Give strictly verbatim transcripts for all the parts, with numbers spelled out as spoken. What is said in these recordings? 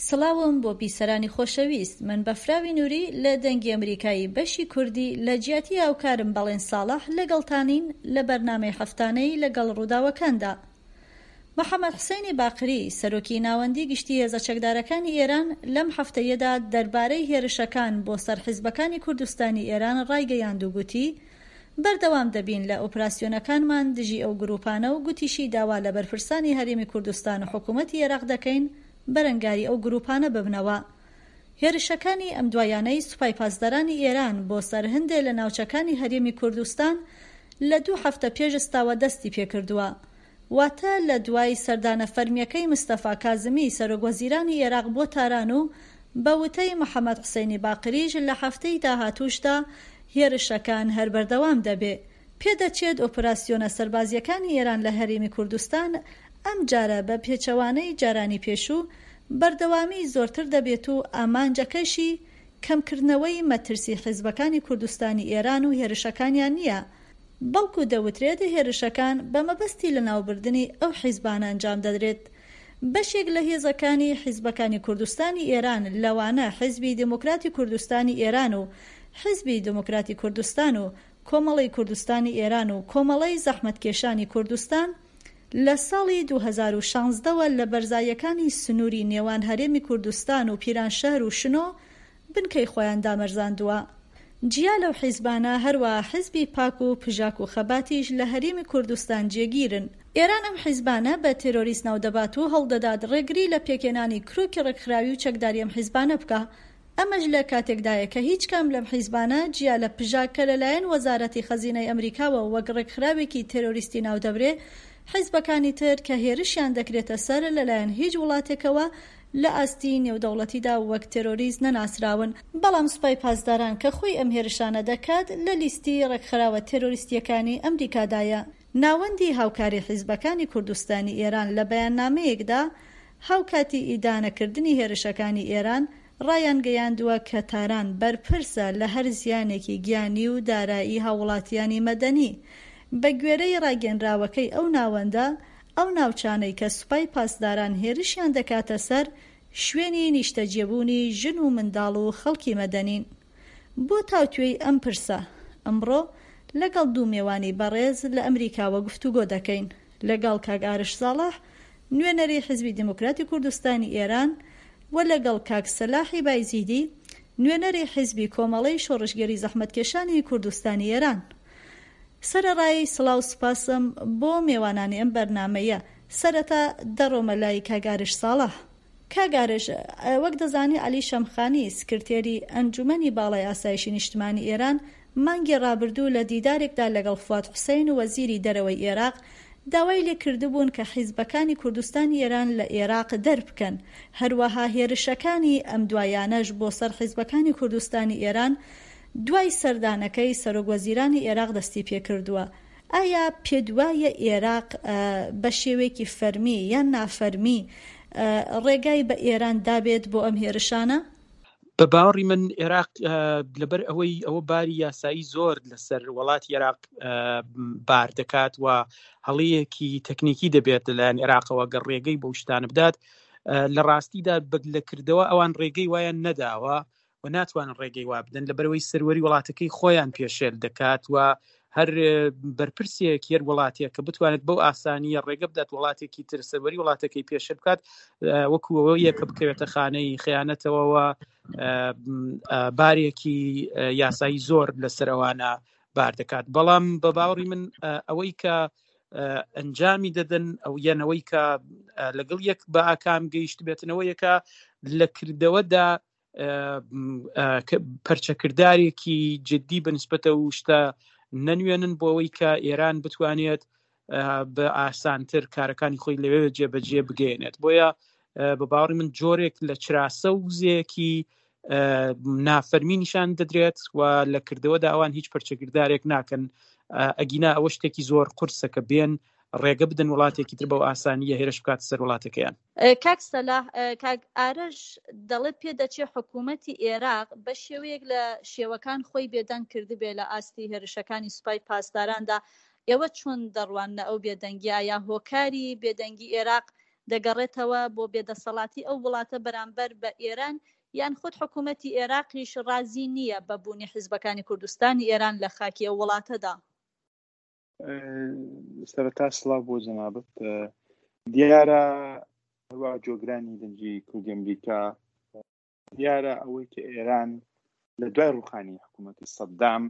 سڵاوم بۆ بیسەرانی خۆشەویست، من بەفراوی نوری لە دەنگی ئەمریکای بەشی کوردی لە جیاتی هاوکارم بەڵێن ساڵح لەگەڵتانین لە بەرنامەی هەفتانەی لەگەڵ ڕووداوەکاندا. محەمەد حسەینی باقری، سەرۆکی ناوەندی گشتی هێزە چەکدارەکانی ئێران لەم هەفتەیەدا دەربارەی هێرشەکان بۆ سەر حیزبەکانی کوردستانی ئێران ڕایگەیاند و گوتی بەردەوام دەبین لە ئۆپراسیۆنەکانمان دژی ئەو گروپانە و گوتیشی داوا لە بەرپرسانی هەرێمی کوردستان و حکومەتی ئێراق دەکەین بەرەنگاری ئەو گروپانە ببنەوە. هێرشەکانی ئەمدوایانەی سوپای پاسدارانی ئێران بۆ سەر هەندێ لە ناوچەکانی هەرێمی کوردستان لە دوو هەفتە پێش ئێستاوە دەستی پێکردووە. واتە لە دوای سەردانە فەرمییەکەی مستەفا کازمی سەرۆک وەزیرانی ئێراق بۆ تاران و بە وتەی محەمەد حوسەینی باقریش لە هەفتەی داهاتووشدا هێرشەکان هەر بەردەوام دەبێ. پێدەچێت ئۆپراسیۆنە سەربازییەکانی ئێران لە هەرێمی کوردستان ئەمجارە بە پێچەوانەی جارانی پێشوو بەردەوامیی زۆرتر دەبێت و ئامانجەکەشی کەمکردنەوەی مەترسی حیزبەکانی کوردستانی ئێران و هێرشەکانیان نییە، بەڵکو دەوترێت هێرشەکان بە مەبەستی لەناوبردنی ئەو حیزبانە ئەنجام دەدرێت. بەشێک لە هێزەکانی حیزبەکانی کوردستانی ئێران لەوانە حیزبی دێموکراتی کوردستانی ئێران و حیزبی دێموکراتی کوردستان و کۆمەڵەی کوردستانی ئێران و کۆمەڵەی زەحمەتکێشانی کوردستان لە ساڵی دوو هەزار و شازدە وە لە بەرزاییەکانی سنووری نێوان هەرێمی کوردستان و پیرانشەهر و شنۆ بنکەی خۆیان دامەرزاندووە. جیا لەو حیزبانە هەروەها حیزبی پاک و پژاک و خەباتیش لە هەرێمی کوردستان جێگیرن. ئێران ئەم حیزبانە بە تێرۆریست ناودەبات و هەوڵدەدات ڕێگری لە پێکهێنانی کرۆکی ڕێکخراوی و چەکداری ئەم حیزبانە بکا. ئەمەش لە کاتێکدایە کە هیچ کام لەم حیزبانە جیا لە پژاک کە لەلایەن وەزارەتی خەزینەی ئەمریکاوە وەک ڕێکخراوێکی تێرۆریستی ناودەبرێ، حیزبەکانی تر کە هێرشیان دەکرێتە سەر لەلایەن هیچ وڵاتێکەوە لە ئاستی نێودەوڵەتیدا وەک تێرۆریست نەناسراون، بەڵام سوپای پاسداران کە خۆی ئەم هێرشانە دەکات لە لیستی ڕێکخراوە تێرۆریستییەکانی ئەمریکادایە. ناوەندی هاوکاری حیزبەکانی کوردستانی ئێران لە بەیاننامەیەکدا هاوکاتی ئیدانەکردنی هێرشەکانی ئێران، ڕایانگەیاندووە کە تاران بەرپرسە لە هەر زیانێکی گیانی و دارایی هاووڵاتیانی مەدەنی. بە گوێرەی ڕاگەیەنراوەکەی ئەو ناوەندە، ئەو ناوچانەی کە سوپای پاسداران هێرشیان دەکاتە سەر، شوێنی نیشتەجێبوونی ژن و منداڵ و خەڵکی مەدەنین. بۆ تاوتوێی ئەم پرسە، ئەمڕۆ لەگەڵ دوو مێوانی بەڕێز لە ئەمریکاوە گفتوگۆ دەکەین، لەگەڵ کاک ئارش ساڵح، نوێنەری حیزبی دێموکراتی کوردستانی ئێران و لەگەڵ کاک سەلاحی بایزیدی، نوێنەری حیزبی کۆمەڵەی شۆڕشگێری زەحمەتکێشانی کوردستانی ئێران. سەرەڕای سڵاو سوپاسم بۆ مێوانانی ئەم بەرنامەیە، سەرەتا دەڕۆمە لای کاک ئارش ساڵح. کاک ئارش، وەک دەزانی عەلی شەمخانی، سکرتێری ئەنجومەنی باڵای ئاسایشی نیشتمانی ئێران، مانگی ڕابردوو لە دیدارێکدا لەگەڵ فواد حوسەین وەزیری دەرەوەی ئێراق، داوای لێکردبوون کە حیزبەکانی کوردستانی ئێران لە ئێراق دەربکەن، هەروەها هێرشەکانی ئەمدوایانەش بۆ سەر حیزبەکانی کوردستانی ئێران دوای سەردانەکەی سەرۆک وەزیرانی ئێراق دەستی پێکردووە. ئایا پێتوایە ئێراق بە شێوەیەکی فەرمی یان نافەرمی ڕێگای بە ئێران دابێت بۆ ئەم هێرشانە؟ بە باوەڕی من ئێراق لەبەر ئەوەی ئەوە باری یاسایی زۆر لەسەر وڵاتی ئێراق بار دەکات و هەڵەیەکی تەکنیکی دەبێت لەلایەن ئێراقەوە گەر ڕێگەی بەو شتانە بدات، لە ڕاستیدا لە کردەوە ئەوان ڕێگەی وایان نەداوە و ناتوانن ڕێگەی وا بدەن لەبەرەوەی سەروەری وڵاتەکەی خۆیان پێشێل دەکات و هەر بەرپرسێک هەر وڵاتێک کە بتوانێت بەو ئاسانیە ڕێگە بدات وڵاتێکی تر سەروەری وڵاتەکەی پێشێل بکات، وەکو ئەوەیە کە بکەوێتە خانەی خیانەتەوەوە، بارێکی یاسایی زۆر لەسەر ئەوانە بار دەکات. بەڵام بە باوەڕی من ئەوەی کە ئەنجامی دەدەن ئەو یانەوەی کە لەگەڵ یەک بە ئاکام گەیشت بێتنەوە یەکە لە کردەوەدا پەرچەکردارێکی جدی بەنسبەتە و شتە نەنوێنن بۆ ئەوەی کە ئێران بتوانێت بە ئاسانتر کارەکانی خۆی لەوێ جێبەجێ بگەیەنێت. بۆیە بە باوەڕی من جۆرێک لە چراسە و وزەیەکی نافەرمی نیشان دەدرێت و لە کردەوەدا ئەوان هیچ پەرچەکردارێک ناکەن. ئەگینا ئەوە شتێکی زۆر قورسە کە بێن ڕێگە بدەن وڵاتێکی تر بەو ئاسانیە هێرش بکات سەر وڵاتەکەیان. کاک سەلاح، کاک ئارەش دەڵێت پێدەچێ حکوومەتی ئێراق بە شێوەیەک لە شێوەکان خۆی بێدەنگ کردبێ لە ئاستی هێرشەکانی سوپای پاسداراندا. ئێوە چۆن دەڕواننە ئەو بێدەنگیە؟ یا هۆکاری بێدەنگی ئێراق دەگەڕێتەوە بۆ بێدەسەڵاتی ئەو وڵاتە بەرامبەر بە ئێران یان خود حکوومەتی ئێراقیش ڕازی نییە بە بوونی حیزبەکانی کوردستانی ئێران لە خاکی ئەو وڵاتەدا؟ سەرەتا سڵاو بۆ جەنابت. دیارە هەروە جۆگرانی دەنگی کوردی ئەمریکا، دیارە ئەوەی کە ئێران لە دوای ڕوخانی حکوومەتی سەدام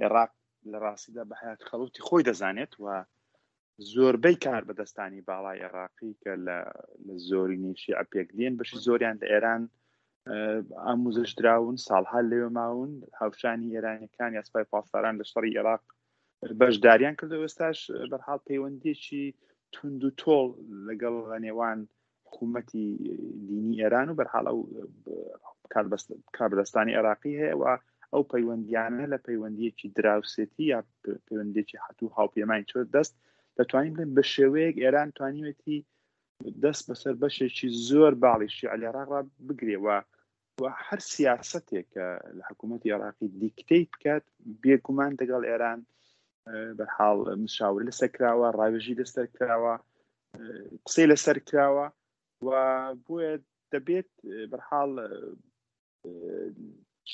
عێراق لە ڕاستیدا بە حیات خەڵوتی خۆی دەزانێت و زۆربەی کار بەدەستانی باڵای عێراقی کە لە زۆرینەی شیعە پێک دێن بەشی زۆریان لە ئێران ئاموزش دراون، ساڵها لەوێ ماون، هاوشانی ئێرانیەکان یا سوپای پاسداران لە شەڕی عێراق بەشداریان کردو. ئێستاش بەرحاڵ پەیوەندیەکی توند و تۆڵ لەگەڵ لە نێوان حکوومەتی دینی ئێران و بەرحاڵ ئەو کاربەدەستانی عێراقی هەیە و ئەو پەیوەندیانە لە پەیوەندیەکی دراوسێتی یا پەیوەندیەکی هەتوو هاوپەیمانی چۆر دەست دەتوانین بڵێن بە شێوەیەک ئێران توانیوێتی دەست بەسەر بەشێکی زۆر باڵی شیعە لە عێراق بگرێ و و هەر سیاسەتێک کە لە حکوومەتی عێراقی دیکتەی بکات بێگومان دەگەڵ ئێران بەرحاڵ مشاوری لەسەر کراوە، ڕاوێژی لەسەر کراوە، قسەی لەسەر کراوە و بۆیە دەبێت بەرحاڵ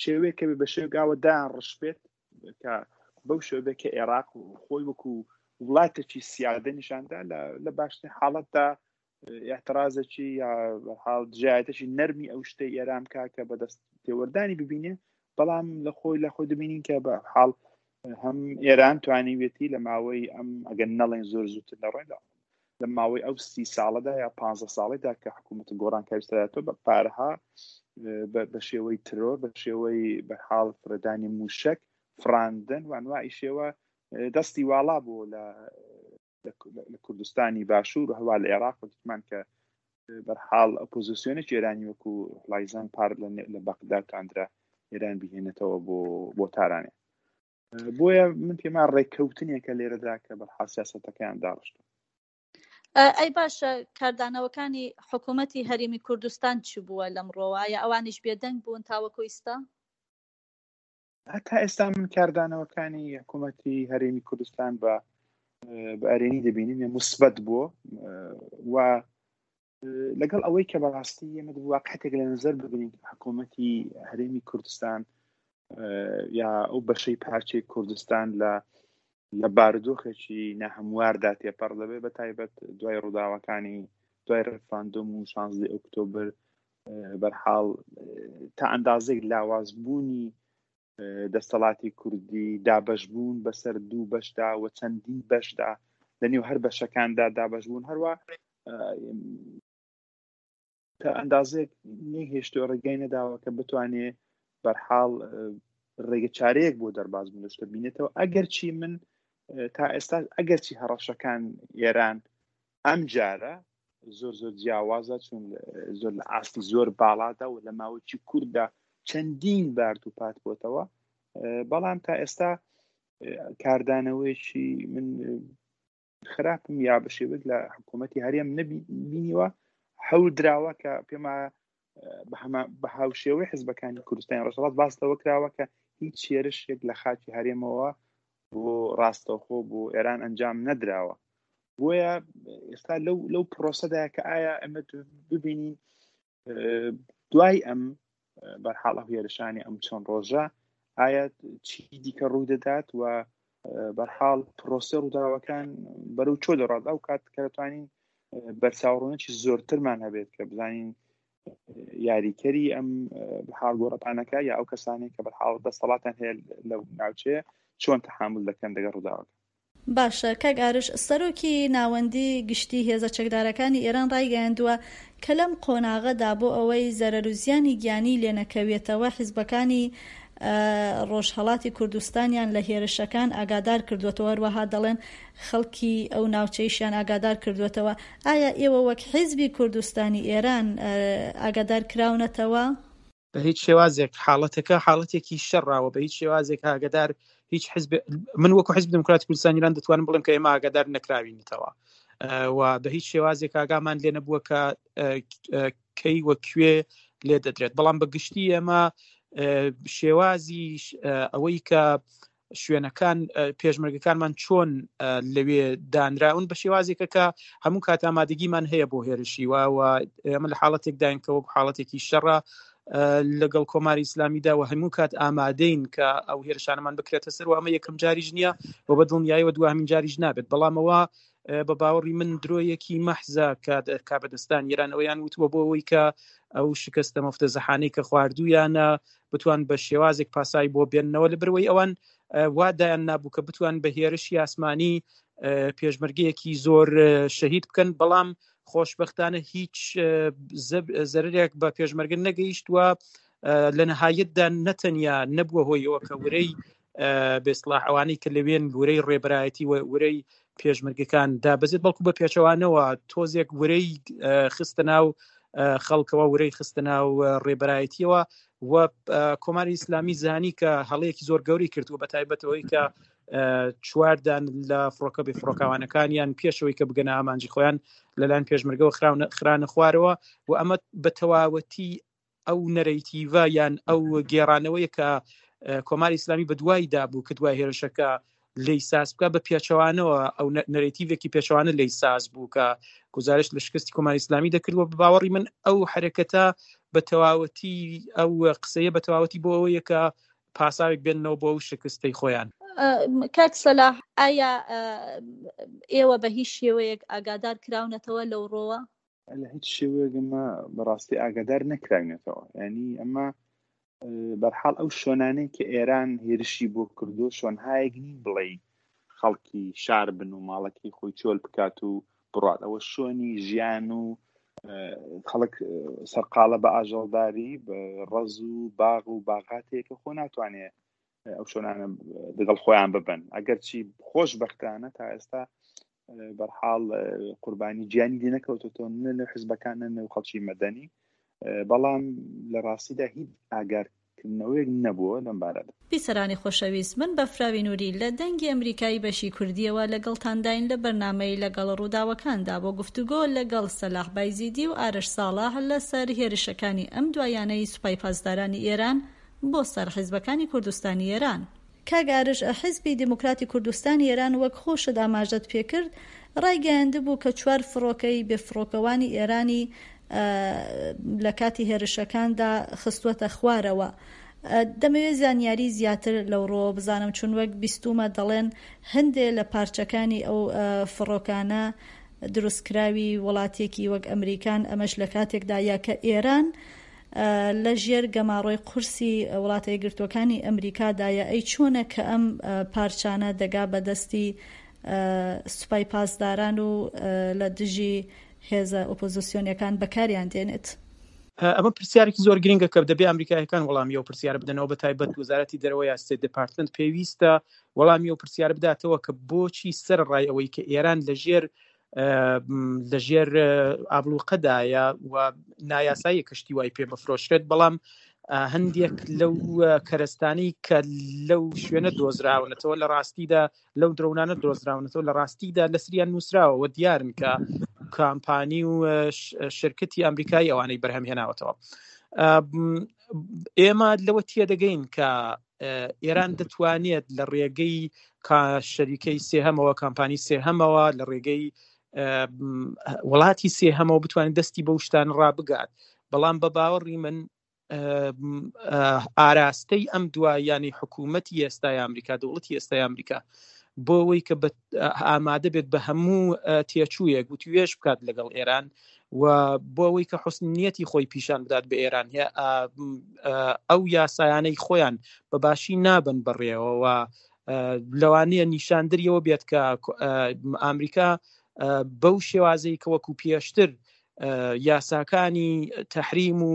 شێوەیەکە بە شێوگاوە دایان ڕش بێت کە بەو شێوە کە عێراق خۆی وەکو وڵاتێکی سیادە نیشاندا لە باشترین حاڵەتدا اعترازێکی یا بەرحاڵ دژایەتێکی نەرمی ئەو شتەی ئێران بکا کە بەدەست تێوەردانی ببینێ، بەڵام لە خۆی لە خۆی دەبینین کە بە حاڵ هەم ئێران توانیوێتی لە ماوەی ئەم ئەگەر نەڵێن زۆر زووتر لە ڕێدا لە ماوەی ئەو سی ساڵەدا یا پانزە ساڵیدا کە حکوومەت گۆڕانکاری سەراتەوە بە پارەها بە شێوەی ترۆر، بە شێوەی بەرحاڵ فرەدانی موشک فراندن و ئەنواعی شێوە دەستی واڵا بوو لە لە کوردستانی باشوور و هەوا لە عێراق دیتمان کە بەرحاڵ ئۆپۆزیسیۆنێکی ئێرانی وەکو لایزان پار لە بەغدا تواندرا ئێران بهێنێتەوە بۆ بۆ تارانێ. بۆیە من پێمان ڕێککەوتنێکە لێرەدا کە بەرحاڵ سیاسەتەکەیان داڕشت. ئەی باشە، کاردانەوەکانی حکوومەتی هەرێمی کوردستان چی بووە لەمڕۆوە؟ ئایا ئەوانیش بێدەنگ بوون تاوەکو ئیستا؟ هەتا ئێستا من کاردانەوەکانی حکوومەتی هەرێمی کوردستان بە بە ئەرێنی دەبینیم، یە مثبەت بووە و لەگەڵ ئەوەی کە بەڕاستی ئێمە واقعێک لە نظر ببینین حکوومەتی هەرێمی کوردستان یا ئەو بەشەی پارچەی کوردستان لە لە بارودۆخێکی ناهەمواردا تێپەڕ دەبێت، بە تایبەت دوای ڕووداوەکانی دوای ڕێفراندۆم و شانزدە ئۆکتۆبر بەرحاڵ تا ئەندازێک لاوازبوونی دەستەڵاتی کوردی، دابەشبوون بەسەر دوو بەشدا و چەندین بەشدا لە نێو هەر بەشەکاندا دابەشبوون، هەروە تا ئەندازێک نەیهێشتووە، ڕێگای نەداوە کە بتوانێ بەرحاڵ ڕێگە چارەیەک بۆ دەرباز بوون لە شتە بینێتەوە. ئەگەرچی من تا ئێستا ئەگەرچی هەڕەشەکان ئێران ئەم جارە زۆر زۆر جیاوازە، چون زۆر لە ئاستی زۆر باڵادا و لە ماوەی کورددا چەندین بار دووپات بۆتەوە، بەڵام تا ئێستا کاردانەوەیەکی من خراپم یا بە شێوەیەک لە حکوومەتی هەرێم نەبینیوە. هەول دراوە کە پێما بە هاوشێوەی حزبەکانی کوردستانی ڕۆژهەڵات باس لەوە کراوە کە هیچ هێرشێک لە خاکی هەرێمەوە بۆ ڕاستەوخۆ بۆ ئێران ئەنجام نەدراوە. بۆیە ئێستا لەو لەو پرۆسەدا کە ئایا ئەمە ببینین دوای ئەم بەرحاڵ ئەو هێرشانی ئەم چەند ڕۆژە ئایا چی دیکە ڕوو دەدات و بەرحاڵ پرۆسە ڕووداوەکان بەرەو چۆ دەڕات، ئەو کات کە دەتوانین بەرچاوڕوونێکی زۆرترمان هەبێت کە بزانین یاریکەری ئەم حاڵ گۆڕەپانەکە یا ئەو کەسانەی کە بەرحاڵ دەسەڵاتیان هەیە لەو ناوچەیە چۆن تەحامل دەکەن دەگەڵ ڕووداوەکە. باشە کاک ئارش، سەرۆکی ناوەندی گشتی هێزە چەکدارەکانی ئێران ڕایگەیاندووە کە لەم قۆناغەدا بۆ ئەوەی زەرەر و زیانی گیانی لێنەکەوێتەوە حیزبەکانی ڕۆژهەڵاتی کوردستانیان لە هێرشەکان ئاگادار کردووەتەوە، هەروەها دەڵێن خەڵکی ئەو ناوچەیشیان ئاگادار کردووەتەوە. ئایا ئێوە وەک حیزبی کوردستانی ئێران ئاگادار کراونەتەوە؟ بە هیچ شێوازێک حاڵەتەکە حاڵەتێکی شەڕاوە، بە هیچ شێوازێک ئاگادار هیچ حزب، من وەکو حزب دموکراتی کوردستان ئێران دەتوانم بڵێم کە ئێمە ئاگادار نەکراوینەتەوە و بە هیچ شێوازێک ئاگامان لێ نەبووە کە کەی وە کوێ لێ دەدرێت. بەڵام بە گشتی ئێمە شێوازی ئەوەی کە شوێنەکان پێشمەرگەکانمان چۆن لەوێ دانراون بە شێوازێکە کە هەموو کات ئامادەگیمان هەیە بۆ هێرشی و ئێمە لە حاڵەتێکداین کە وەک حاڵەتێکی شەڕە لەگەڵ کۆماری ئیسلامیدا و هەموو کات ئامادەین کە ئەو هێرشانەمان بکرێتە سەر و ئەمە یەکەم جاریش نییە و بە دڵنیاییەوە دوامین جاریش نابێت. بەڵامەوە بە باوەڕی من درۆیەکی مەحزە کە کابەدەستان ئێران ئەویان وتووە بۆ ئەوەی کە ئەو شکستە مفتەزەحانەی کە خواردوویانە بتوان بە شێوازێک پاسای بۆ بێننەوە، لە بەرەوەی ئەوان وا دایان نابوو کە بتوان بە هێرشی ئاسمانی پێشمەرگەیەکی زۆر شەهید بکەن، بەڵام خۆشببختانە هیچ زەرێک بە پێشمەرگە نەگەیشتووە. لە نەهایەتدا نەتەنیا نەبووە هۆیەوە کە ورەی بێسلاح ئەوانەی کە لەوێن ورەی ڕێبەرایەتی و ورەی پێشمەرگەکان دابەزێت، بەڵکو بە پێچەوانەوە تۆزێک ورەی خستە ناو خەڵکەوە، ورەی خستە ناو ڕێبەرایەتیەوە و کۆماری ئیسلامی زانی کە هەڵەیەکی زۆر گەورەی کردووە، بە تایبەتەوەی کە چواردان لە فڕۆکە بێ فڕۆکاوانەکانیان پێشەوەی کە بگەنە ئامانجی خۆیان لەلایەن پێشمەرگەوە خرانە خوارەوە و ئەمە بە تەواوەتی ئەو نەرەیتیڤە یان ئەو گێڕانەوەیە کە کۆماری ئیسلامی بە دوایدا بوو کە دوای هێرشەکە لی ساز بکە، بە پێچەوانەوە ئەو نەرەیتیڤێکی پێچەوانە لی ساز بوو کە گزارش لە شکستی کۆماری ئیسلامی دەکرد. و بە باوەڕی من ئەو حرەکەتە بە تەواوەتی ئەو قسەیە بە تەواوەتی بۆ ئەوەیە کە پاساوێک بێننەوە بۆ ئەو شکستەی خۆیان. کاک سەلاح، ئایا ئێوە بە هیچ شێوەیەک ئاگادار کراونەتەوە لەو ڕۆوە؟ لە هیچ شێوەیەک ئەمە بەڕاستی ئاگادار نەکراونەتەوە. یعنی ئەمە بەرحاڵ ئەو شوێنانەی کە ئێران هێرشی بۆ کردو شوێنهایەک نین بڵێ خەڵکی شار بن و ماڵەکەی خۆی چۆل بکات و بڕات، ئەوە شوێنی ژیان و خەڵک سەرقاڵە بە ئاژەڵداری بە ڕەز و باغ و باغاتێکە خۆ ناتوانێت ئەو شوێنانە لەگەڵ خۆیان ببن. ئەگەرچی خۆشبەختانە تا ئێستا بەرحاڵ قوربانی گیانی لێ نەکەوتۆتەوە، نە لە حزبەکان نە لە خەڵکی مەدەنی، بەڵام لە ڕاستیدا هیچ ئاگارکردنەوەیەک نەبووە لەم بارەدا. بیسەرانی خۆشەویست، من بەفراوی نووری لە دەنگی ئەمریکایی بەشی کوردیەوە لەگەڵتانداین لە بەرنامەی لەگەڵ ڕووداوەکاندا بۆ گفتوگۆ لەگەڵ سەلاح بایزیدی و ئارش ساڵح لەسەر هێرشەکانی ئەم دوایانەی سوپای پاسدارانی ئێران بۆ سەر حیزبەکانی کوردستانی ئێران. کاک ئارش، حیزبی دێموکراتی کوردستانی ئێران وەک خۆشت ئاماژەت پێکرد ڕایگەیاندبوو کە چوار فڕۆکەی بێفڕۆکەوانی ئێرانی لە کاتی هێرشەکاندا خستووەتە خوارەوە. دەمەوێت زانیاری زیاتر لەو ڕۆوە بزانم، چون وەک بیستومە دەڵێن هەندێ لە پارچەکانی ئەو فڕۆکانە دروستکراوی وڵاتێکی وەک ئەمریکان، ئەمەش لە کاتێکدا یا کە ئێران لە ژێر گەماڕۆی قورسی وڵاتە یەکگرتووەکانی ئەمریکادایە. ئەی چۆنە کە ئەم پارچانە دەگا بە دەستی سوپای پاسداران و لە دژی هێزە ئۆپۆزیسیۆنیەکان بەکاریان دێنێت؟ ئەمە پرسیارێکی زۆر گرنگە کە دەبێ ئەمریکایەکان وەڵامی ئەو پرسیارە بدەنەوە، بە تایبەت وەزارەتی دەرەوە یا State Department پێویستە وەڵامی ئەو پرسیارە بداتەوە کە بۆچی سەر ڕای ئەوەی کە ئێران لەژێر لەژێر ئابلوقەدایە و نایاسایی کەشتی وای پێ بفرۆشرێت، بەڵام هەندێک لەو کەرەستانەی کە لەو شوێنە دۆزراونەتەوە لە ڕاستیدا لەو درۆنانە دۆزراونەتەوە لە ڕاستیدا لەسریان نووسراوە و دیارن کە کامپانی و شرکتی ئەمریکایی ئەوانەی بەرهەم هێناوەتەوە. ئێمە لەوە تێدەگەین کە ئێران دەتوانێت لە ڕێگەی شەریکەی سێهەمەوە، کامپانی سێهەمەوە، لە ڕێگەی وڵاتی سێهەمەوە بتوانێت دەستی بەو شتان ڕابگات. بەڵام بە باوەڕی من ئاراستەی ئەم دواییانەی حکوومەتی ئێستای ئەمریکا، دەوڵەتی ئێستای ئەمریکا، بۆ ئەوەی کە ئامادە بێت بە هەموو تێچوویەک وتوێژ بکات لەگەڵ ئێران و بۆ ئەوەی کە حوسن نیەتی خۆی پیشان بدات بە ئێران، ئەو یاسایانەی خۆیان بە باشی نابن بەڕێوەوە، لەوانەیە نیشاندریەوە بێت کە ئەمریکا بەو شێوازەی کە وەکو پێشتر یاساکانی تەحریم و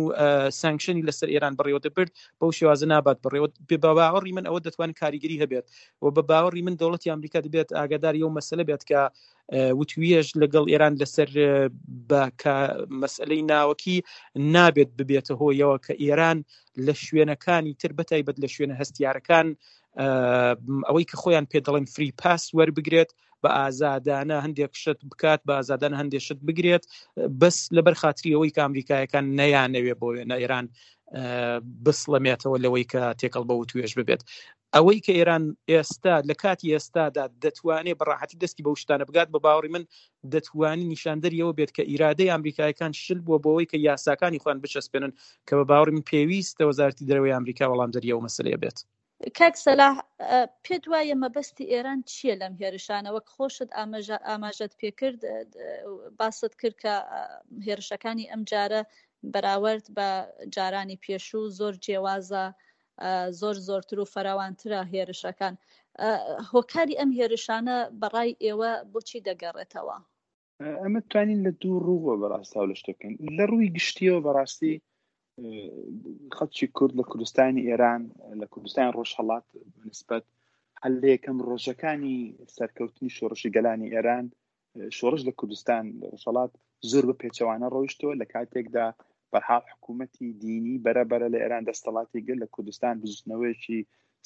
سانکشنی لەسەر ئێران بەڕێوە دەبرد، بەو شێوازە نابات بەڕێوە. بە باوەڕی من ئەوە دەتوانێت کاریگەری هەبێت و بە باوەڕی من دەوڵەتی ئەمریکا دەبێت ئاگاداری ئەو مەسەلە بێت کە وتوێژ لەگەڵ ئێران لەسەر بە مەسئلەی ناوەکی نابێت ببێتە هۆیەوە کە ئێران لە شوێنەکانی تر بەتایبەت لە شوێنە هەستیارەکان ئەوەی کە خۆیان پێ دەڵێن فری پاس وەربگرێت، بە ئازادانە هەندێک شت بکات، بە ئازادانە هەندێک شت بگرێت، بەس لەبەر خاتری ئەوەی کە ئەمریکایەکان نەیانەوێ بۆ وێنە ئێران بسڵەمێتەوە لەوەی کە تێکەڵ بە وتوێژ ببێت. ئەوەی کە ئێران ئێستا لە کاتی ئێستادا دەتوانێت بە ڕاحەتی دەستی بەو شتانە بگات، بە باوەڕی من دەتوانێت نیشاندەری ئەوە بێت کە ئیرادەی ئەمریکایەکان شل بووە بۆ ئەوەی کە یاساکانی خۆیان بچەسپێنن، کە بە باوەڕی من پێویستە وەزارەتی دەرەوەی ئەمریکا وەڵامدەری ئەو مەسەلەیە بێت. کاک سەلاح، پێت وایە مەبەستی ئێران چییە لەم هێرشانە؟ وەک خۆشت ئاماژەت پێکرد، باست کرد کە هێرشەکانی ئەم جارە بەراورد بە جارانی پێشوو زۆر جیاوازە، زۆر زۆرتر و فراوانترە هێرشەکان. هۆکاری ئەم هێرشانە بەڕای ئێوە بۆچی دەگەڕێتەوە؟ ئەمە توانین لە دوو ڕووەوە بەڕاستاو لە شتە بکەین. لە ڕووی گشتیەوە بەڕاستی خەڵکی کورد لە کوردستانی ئێران، لە کوردستانی ڕۆژهەڵات نسبەت هەر لە یەکەم ڕۆژەکانی سەرکەوتنی شۆڕشی گەلانی ئێران، شۆڕش لە کوردستان ڕۆژهەڵات زۆر بە پێچەوانە ڕۆیشتەوە، لە کاتێکدا بەرحاڵ حکوومەتی دینی بەرەبەرە لە ئێران دەستەڵاتی گرت، لە کوردستان بزوتنەوەیەکی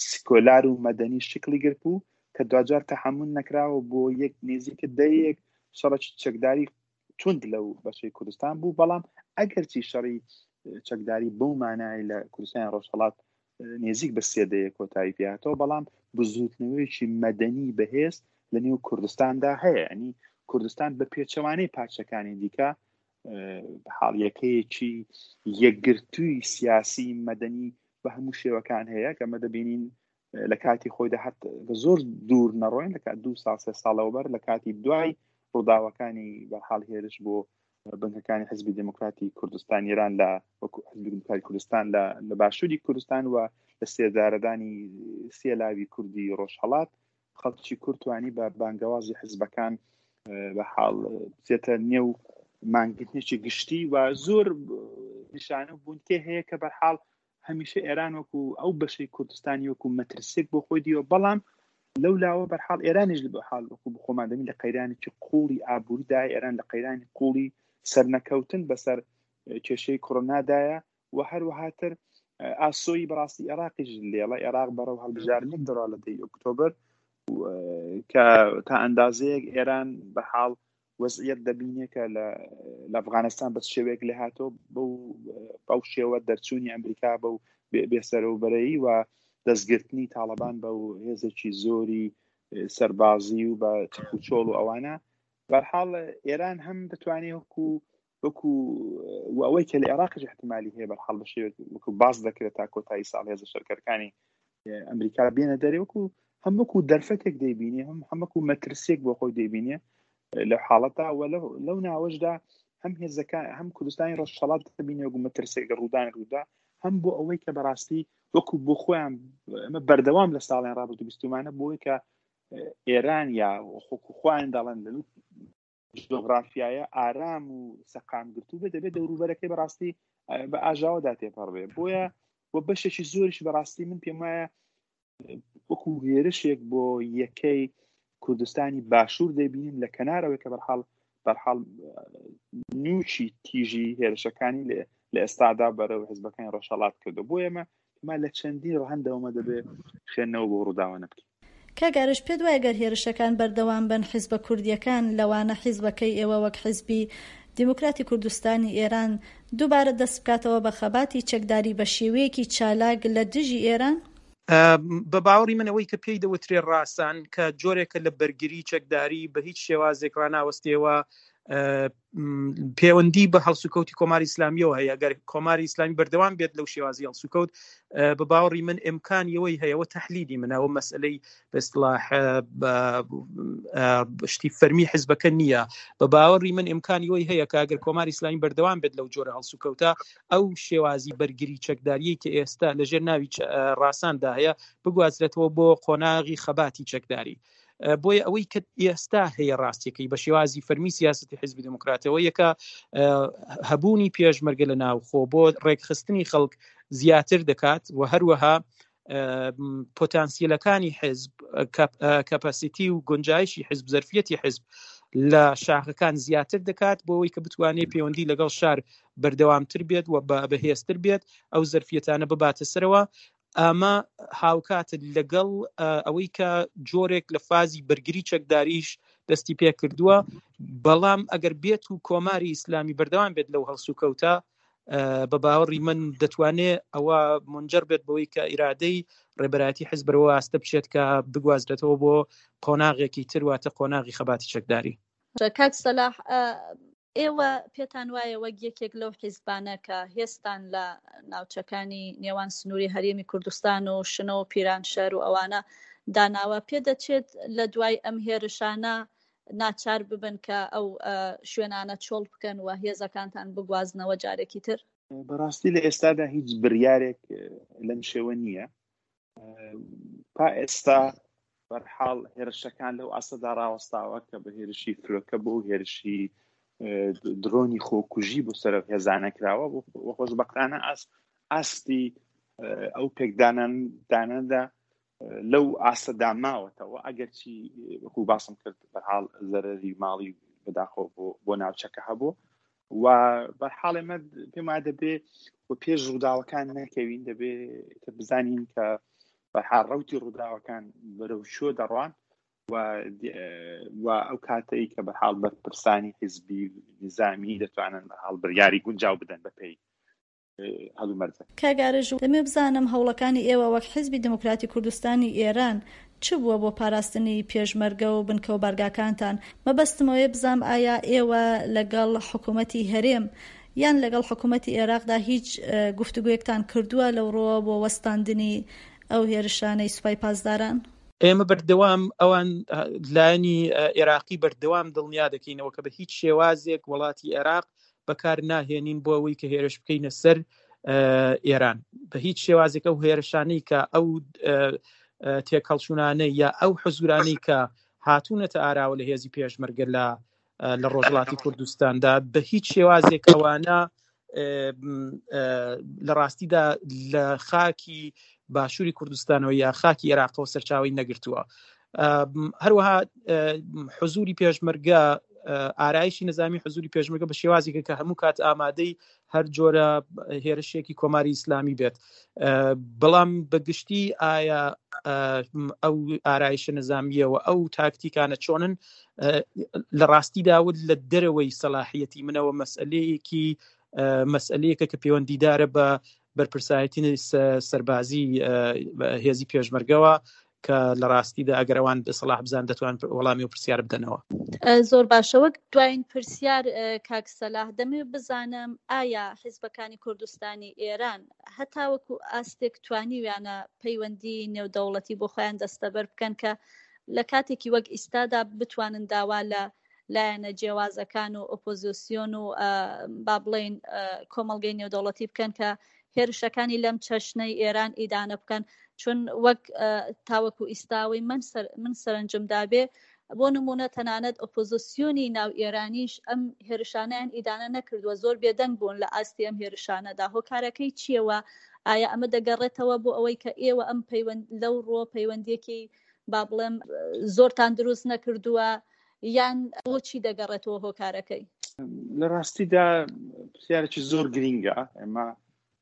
سکۆلار و مەدەنی شکلی گرت بوو کە دواجار تەحەمول نەکراوە بۆ یەک نزیکە دەیەک شەڕێکی چەکداری توند لەو بەشەی کوردستان بوو. بەڵام ئەگەرچی شەڕی چەکداری بەو مانای لە کوردستانی ڕۆژهەڵات نزیک بە سێ دەیە کۆتایی پێهاتەوە، بەڵام بزوتنەوەیەکی مەدەنی بەهێز لە نێو کوردستاندا هەیە. ینی کوردستان بە پێچەوانەی پارچەکانی دیکە حاڵیەکەیەکی یەکگرتووی سیاسی مەدەنی بە هەموو شێوەکان هەیە کە ئەمە دەبینین لە کاتی خۆیدا هەر زۆر دوور نەڕۆین، لە کات دوو ساڵ سێ ساڵەوە بەر لە کاتی دوای ڕووداوەکانی بەرحاڵ هێرش بۆ بنکەکانی حزبی دێموکراتی کوردستان ئێران لە وەکو حزبی دێموکراتی کوردستان لە لە باشووری کوردستان و لە سێدارەدانی سێ لاوی کوردی ڕۆژهەڵات، خەڵکی کورد توانی بە بانگەوازی حزبەکان بە حاڵ بچێتە نێو مانگرتنێکی گشتی و زۆر نیشانە بوونکێ هەیە کە بەرحاڵ هەمیشە ئێران وەکو ئەو بەشەی کوردستانی وەکو مەترسێک بۆ خۆی دیوە. بەڵام لەو لاوە بەرحاڵ ئێرانیش بە حاڵ وەکو بخۆمان دەبین لە قەیرانێکی قوڵی ئابووریدا، ئێران لە قەیرانی قوڵی سەرنەکەوتن بەسەر کێشەی کۆرۆنادایە و هەروەهاتر ئاسۆی بەڕاستی عێراقیش لێڵە. عێراق بەرەو هەڵبژاردنێک دەڕوا لە دەی ئۆکتۆبەر کە تا ئەندازەیەک ئێران بە حاڵ وەزعیەت دەبینێ کە لە ئەفغانستان بە شێوەیەک لێ هاتەوە بەو شێوە دەرچوونی ئەمریکا بەو بێسەرەوبەرەیی و دەستگرتنی تاڵەبان بە هێزێکی زۆری سەربازی و بە چەک و چۆڵ و ئەوانە. بەرحاڵ ئێران هەم دەتوانێت وەکو وەکو و ئەوەی کە لە عێراقیش احتمالی هەیە بەرحاڵ بە شێوەیەک وەکو باس دەکرێت تا کۆتایی ساڵ هێزە شەرکەرەکانی ئەمریکا بێنە دەرێ، وەکو هەم وەکو دەرفەتێک دەیبینێ، هەم هەم وەکو مەترسیەک بۆ خۆی دەیبینێ لە حاڵەتا و لەو ناوەشدا هەم هێزەکان هەم کوردستانی ڕۆژهەڵات دەبینێ وەکو مەترسێک لە ڕوودان ڕوودا، هەم بۆ ئەوەی کە بەڕاستی وەکو بۆ خۆیان ئەمە بەردەوام لە ساڵیان ڕابردوو بیستومانە بۆ ئەوەی کە ئێران یا خۆکو خۆیان دەڵێن لە جۆغرافیایە ئارام و سەقام گرتوو بێت، دەبێت دەوروبەرەکەی بەڕاستی بە ئاژاوەدا تێپەڕ بێ. بۆیە بۆ بەشێکی زۆریش بەڕاستی من پێم وایە وەکو هێرشێک بۆ یەکەی کوردستانی باشوور دەبینین لە کەنارەوەی کە بەرحاڵ بەرحاڵ نوچی تیژی هێرشەکانی لە ئێستادا بەرەو حزبەکانی ڕۆژهەڵات کردو. بۆ ئێمە ئێمە لە چەندین ڕەهەندەوەمە دەبێت خوێندنەوە بۆ ڕووداوانە بکەین. کاک ئارش، پێت وایە گەر هێرشەکان بەردەوام بن حیزبە کوردیەکان لەوانە حیزبەکەی ئێوە وەک حیزبی دیموکراتی کوردستانی ئێران دووبارە دەست بکاتەوە بە خەباتی چەکداری بە شێوەیەکی چالاک لە دژی ئێران؟ بە باوەڕی من ئەوەی کە پێی دەوترێ ڕاسان کە جۆرێکە لە بەرگری چەکداری بە هیچ شێوازێک ڕاناوەستێەوە، پەیوەندی بە هەڵسوکەوتی کۆماری ئیسلامیەوە هەیە. ئەگەر کۆماری ئیسلامی بەردەوام بێت لەو شێوازی هەڵسوکەوت، بە باوەڕی من ئیمکانی ئەوەی هەیە، ئەوە تەحلیلی منە، ئەوە مەسئلەی بە اصطلاح شتی فەرمی حزبەکە نییە. بە باوەڕی من ئیمکانی ئەوەی هەیە کە ئەگەر کۆماری ئیسلامی بەردەوام بێت لەو جۆرە هەڵسوکەوتە، ئەو شێوازی بەرگری چەکداریەی کە ئێستا لەژێر ناوی ڕاساندا هەیە بگوازرێتەوە بۆ قۆناغی خەباتی چەکداری. بۆیە ئەوەی کە ئێستا هەیە ڕاستیەکەی بە شێوازی فەرمی سیاسەتی حیزبی دێموکراتەوە یەکە هەبوونی پێشمەرگە لە ناوخۆ بۆ ڕێکخستنی خەڵک زیاتر دەکات و هەروەها پۆتانسیلەکانی حیزب، کەپاسیتی و گونجایشی حیزب، زەرفیەتی حیزب لە شاخەکان زیاتر دەکات بۆ ئەوەی کە بتوانێت پەیوەندی لەگەڵ شار بەردەوامتر بێت و بەهێزتر بێت، ئەو زەرفیەتانە بباتە سەرەوە. ئەمە هاوکات لەگەڵ ئەوەی کە جۆرێک لە فازی بەرگری چەکداریش دەستی پێ کردووە، بەڵام ئەگەر بێت و کۆماری ئیسلامی بەردەوام بێت لەو هەڵسوکەوتە، بە باوەڕی من دەتوانێت ئەوە منجەر بێت بەوەی کە ئیرادەی ڕێبەرایەتی حزب بەرەوە ئاستە بچێت کە بگوازرێتەوە بۆ قۆناغێکی تر، واتە قۆناغی خەباتی چەکداری. کاک سەلاح، ئێوە پێتان وایە وەک یەکێک لەو حیزبانە کە هێستان لە ناوچەکانی نێوان سنووری هەرێمی کوردستان و شنۆ و پیرانشار و ئەوانە داناوە، پێدەچێت لە دوای ئەم هێرشانە ناچار ببن کە ئەو شوێنانە چۆڵ بکەن و هێزەکانتان بگوازنەوە جارێکی تر؟ بەڕاستی لە ئێستادا هیچ بڕیارێک لەم شێوە نییە. تا ئێستا بەرحاڵ هێرشەکان لەو ئاستەدا ڕاوەستاوە کە بە هێرشی فرۆکە بۆ هێرشی درۆنی خۆکوژی بۆ سەر هێزانە کراوە و خۆشبەختانە ئاستی ئەو پێکدانان دانەدا لەو ئاستەدا ماوەتەوە، ئەگەرچی وەکو باسم کرد بەرحاڵ زەرەری ماڵی بەداخەوە بۆ ناوچەکە هەبوو و بەرحاڵ ئێمە پێم وایە دەبێ و پێش ڕووداوەکان نەکەوین، دەبێ بزانین کە بەرحاڵ ڕوتی ڕووداوەکان بەرەو شۆ دەڕوان و ئەو کاتەی کە بەرحاڵ بەرپرسانی حیزبی نظامی دەتوانن بەرحاڵ بڕیاری گونجاو بدەن بەپێی هەلومەرجە. کاک ئارەژوو، دەمێ بزانم هەوڵەکانی ئێوە وەک حیزبی دێموکراتی کوردستانی ئێران چ بووە بۆ پاراستنی پێشمەرگە و بنکە و بارگاکانتان؟ مەبەستم ئەوەیە بزانم ئایا ئێوە لەگەڵ حکوومەتی هەرێم یان لەگەڵ حکوومەتی عێراقدا هیچ گفتوگۆیەکتان کردووە لەو ڕووەوە بۆ وەستاندنی ئەو هێرشانەی سوپای پاسداران؟ ئێمە بەردەوام ئەوان لایەنی عێراقی بەردەوام دڵنیا دەکەینەوە کە بە هیچ شێوازێک وڵاتی عێراق بەکار ناهێنین بۆ ئەوەی کە هێرش بکەینە سەر ئێران. بە هیچ شێوازێک ئەو هێرشانەی کە ئەو تێکهەڵچوونانەی یا ئەو حزورانەی کە هاتوونەتە ئاراوە لە هێزی پێشمەرگە لە لە ڕۆژهەڵاتی کوردستاندا بە هیچ شێوازێک ئەوانە لە ڕاستیدا لە خاکی باشووری کوردستانەوە یا خاکی عێراقەوە سەرچاوی نەگرتووە. هەروەها حزوری پێشمەرگە، ئارایشی نظامی حزوری پێشمەرگە بە شێوازێکە کە هەموو کات ئامادەی هەر جۆرە هێرشێکی کۆماری ئیسلامی بێت. بەڵام بەگشتی ئایا ئەو ئارایشە نظامیەوە ئەو تاکتیکانە چۆنن لە ڕاستیدا ود لە دەرەوەی سەلاحیەتی منەوە مەسئلەیەکی مەسئلەیەکە کە پەیوەندیدارە بە بەرپرسایەتی سەربازی هێزی پێشمەرگەوە کە لە ڕاستیدا ئەگەر ئەوان سەلاح بزان دەتوان وەڵامی و پرسیار بدەنەوە. زۆر باشە. وەک دوایین پرسیار کاک سەلاح، دەمەوێت بزانم ئایا حیزبەکانی کوردستانی ئێران هەتاوەکو ئاستێک توانیویانە پەیوەندی نێودەوڵەتی بۆ خۆیان دەستەبەر بکەن کە لە کاتێکی وەک ئیستادا بتوانن داوا لە لایەنە جیاوازەکان و ئۆپۆزیسیۆن و با بڵێین کۆمەڵگەی نێودەوڵەتی بکەن کە هێرشەکانی لەم چەشنەی ئێران ئیدانە بکەن؟ چون وەک تاوەکو ئیستاوەی من سەر من سەرنجم دابێ بۆ نمونە تەنانەت ئۆپۆزیسیۆنی ناو ئێرانیش ئەم هێرشانیان ئیدانە نەکردووە، زۆر بێدەنگ بوون لە ئاستی ئەم هێرشانەدا. هۆکارەکەی چییەوە؟ ئایا ئەمە دەگەڕێتەوە بۆ ئەوەی کە ئێوە ئەم پەیوەند لەو ڕۆ پەیوەندیەکی با بڵێم زۆرتان دروست نەکردووە، یان بۆچی دەگەڕێتەوە هۆکارەکەی؟ لە ڕاستیدا پرسیارێکی زۆر گرینگە. ئێمە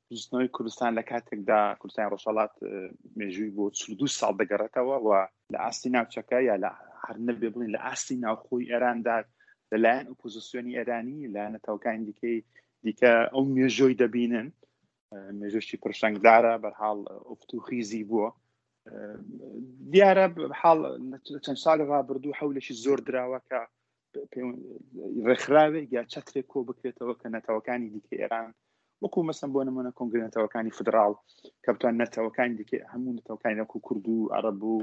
بزووتنەوەی کوردستان لە کاتێکدا کوردستانی ڕۆژهەڵات مێژووی بۆ چل و دوو ساڵ دەگەڕێتەوە و لە ئاستی ناوچەکە یا لە هەر نەبێ بڵین لە ئاستی ناوخۆی ئێراندا لەلایەن ئۆپۆزیسیۆنی ئێرانی لایەن نەتەوەکانی دیکەی دیکە ئەو مێژۆی دەبینن، مێژۆشی پرشنگدارە، بەرحاڵ ئۆفتوخیزی بووە. دیارە حاڵ چەند ساڵی ڕابردوو حەولێکی زۆر دراوە کە ڕێکخراوێک یا چەترێک کۆ بکرێتەوە کە نەتەوەکانی دیکە ئێران وەکو مەسەن بۆ نمونە کۆنگرەی نەتەوەکانی فدراڵ کە بتوان نەتەوەکانی دیکە هەموو نەتەوەکانی وەکو کورد و عەرەب و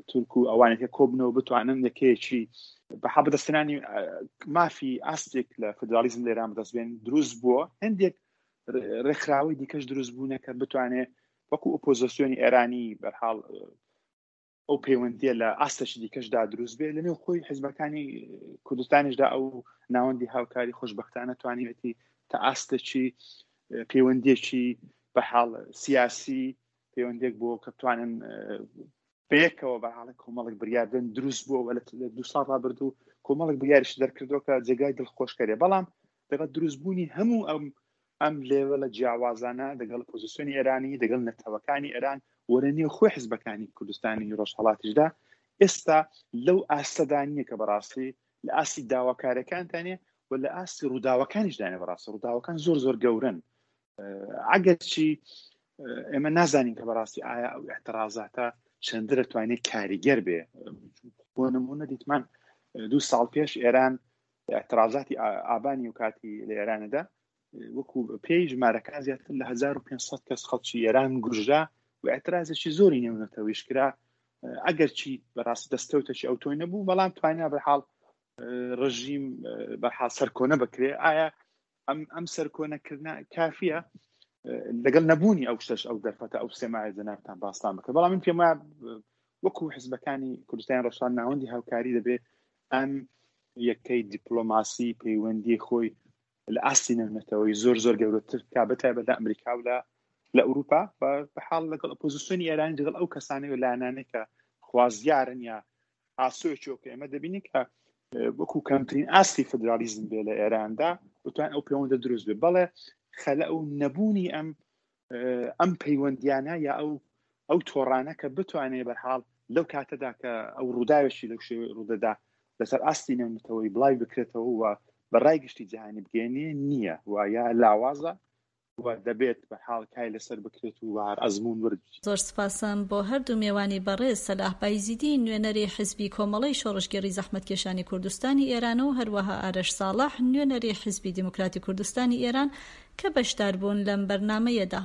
تورک و ئەوانێک کە کۆبنەوە بتوانن یەکەیەکی بە حەب بەدەستهێنانی مافی ئاستێک لە فدرالیزم لە ئێران بەدەست بێن دروست بووە. هەندێک ڕێکخراوەی دیکەش دروست بوونە کە بتوانێت وەکو ئۆپۆزیسیۆنی ئێرانی بەرحاڵ ئەو پەیوەندیە لە ئاستێکی دیکەشدا دروست بێت. لەنێو خۆی حیزبەکانی کوردستانیشدا ئەو ناوەندی هاوکاری خۆشبەختانە توانیوێتی تا ئاستێکی پەیوەندیەکی بە حاڵ سیاسی پەیوەندێک بۆ کە بتوانن بەیەکەوە بە حاڵی کۆمەڵێک بریاردن دروست بووە و لە دوو ساڵ ڕابردوو کۆمەڵێک بریاریش دەرکردووە کە جێگای دڵخۆشکەرێ. بەڵام لەگەڵ دروستبوونی هەموو ئەم ئەم لێوە لە جیاوازانە دەگەڵ پۆزیسیۆنی ئێرانی، دەگەڵ نەتەوەکانی ئێران و لە نێو خۆی حیزبەکانی کوردستانی ڕۆژهەڵاتیشدا ئێستا لەو ئاستەدا نییە کە بەڕاستی لە ئاستی داواکارەکانتانە و لە ئاستی ڕووداوەکانیش دانێ. بەڕاستی ڕووداوەکان زۆر زۆر گەورن، ئەگەرچی ئێمە نازانین کە بەڕاستی ئایا ئەو اعترازاتە چەندە دەتوانێت کاریگەر بێ. بۆ نمونە دیتمان دوو ساڵ پێش ئێران اعترازاتی ئابانی و کاتی لە ئێرانەدا وەکو پێی ژمارەکان زیاتر لە هەزار و پێنج سەد کەس خەڵکی ئێران گوژرا و اعترازێکی زۆری نێونەتەوەیش کرا، ئەگەرچی بەڕاستی دەستکەوتێکی ئەو تۆی نەبوو، بەڵام توانیا بەحاڵ ڕژیم بەحاڵ سەرکۆنە بکرێ. ئایا ئەم ئەم سەرکۆنەکردنە کافیە لەگەڵ نەبوونی ئەو شتەش ئەو دەرفەتە ئەو سێمایە جەنابتان باستان بکە؟ بەڵام من پێم وایە وەکو حزبەکانی کوردستان ڕۆژهەڵات ناوەندی هاوکاری دەبێت ئەم یەکەی دیپلۆماسی پەیوەندی خۆی لە ئاستی نێونەتەوەی زۆر زۆر گەورەتر بکا، بە تایبەت لە ئەمریکا و لە لە ئەوروپا، بە حاڵ لەگەڵ ئۆپۆزیسیۆنی ئێرانی، لەگەڵ ئەو کەسانەی و لایەنانەی کە خوازیارن یا ئاسۆیەکی وەکو ئێمە دەبینین کە وەکو کەمترین ئاستی فدرالیزم بێ لە ئێراندا بتوان ئەو پەیوەندە دروست بێ. بەڵێ خەلە ئەو نەبوونی ئەم ئەم پەیوەندیانە یا ئەو ئەو تۆڕانە کە بتوانێت بەرحاڵ لەو کاتەدا کە ئەو ڕووداوێکی لەو شێوەی ڕوودەدا لەسەر ئاستی نێونەتەوەی بڵاوی بکرێتەوە و بە ڕای گشتی جیهانی بگەێنێ نییە و یا لاوازە و دەبێت بە حاڵ کای لەسەر بکرێت و هەر ئەزموون ورد. زۆر سپاسم بۆ هەردوو مێوانی بەڕێز سەلاح بایزیدی نوێنەری حیزبی کۆمەڵەی شۆڕشگێڕی زەحمەتکێشانی کوردستانی ئێران و هەروەها ئارەش ساڵح نوێنەری حیزبی دیموکراتی کوردستانی ئێران کە بەشدار بوون لەم بەرنامەیەدا.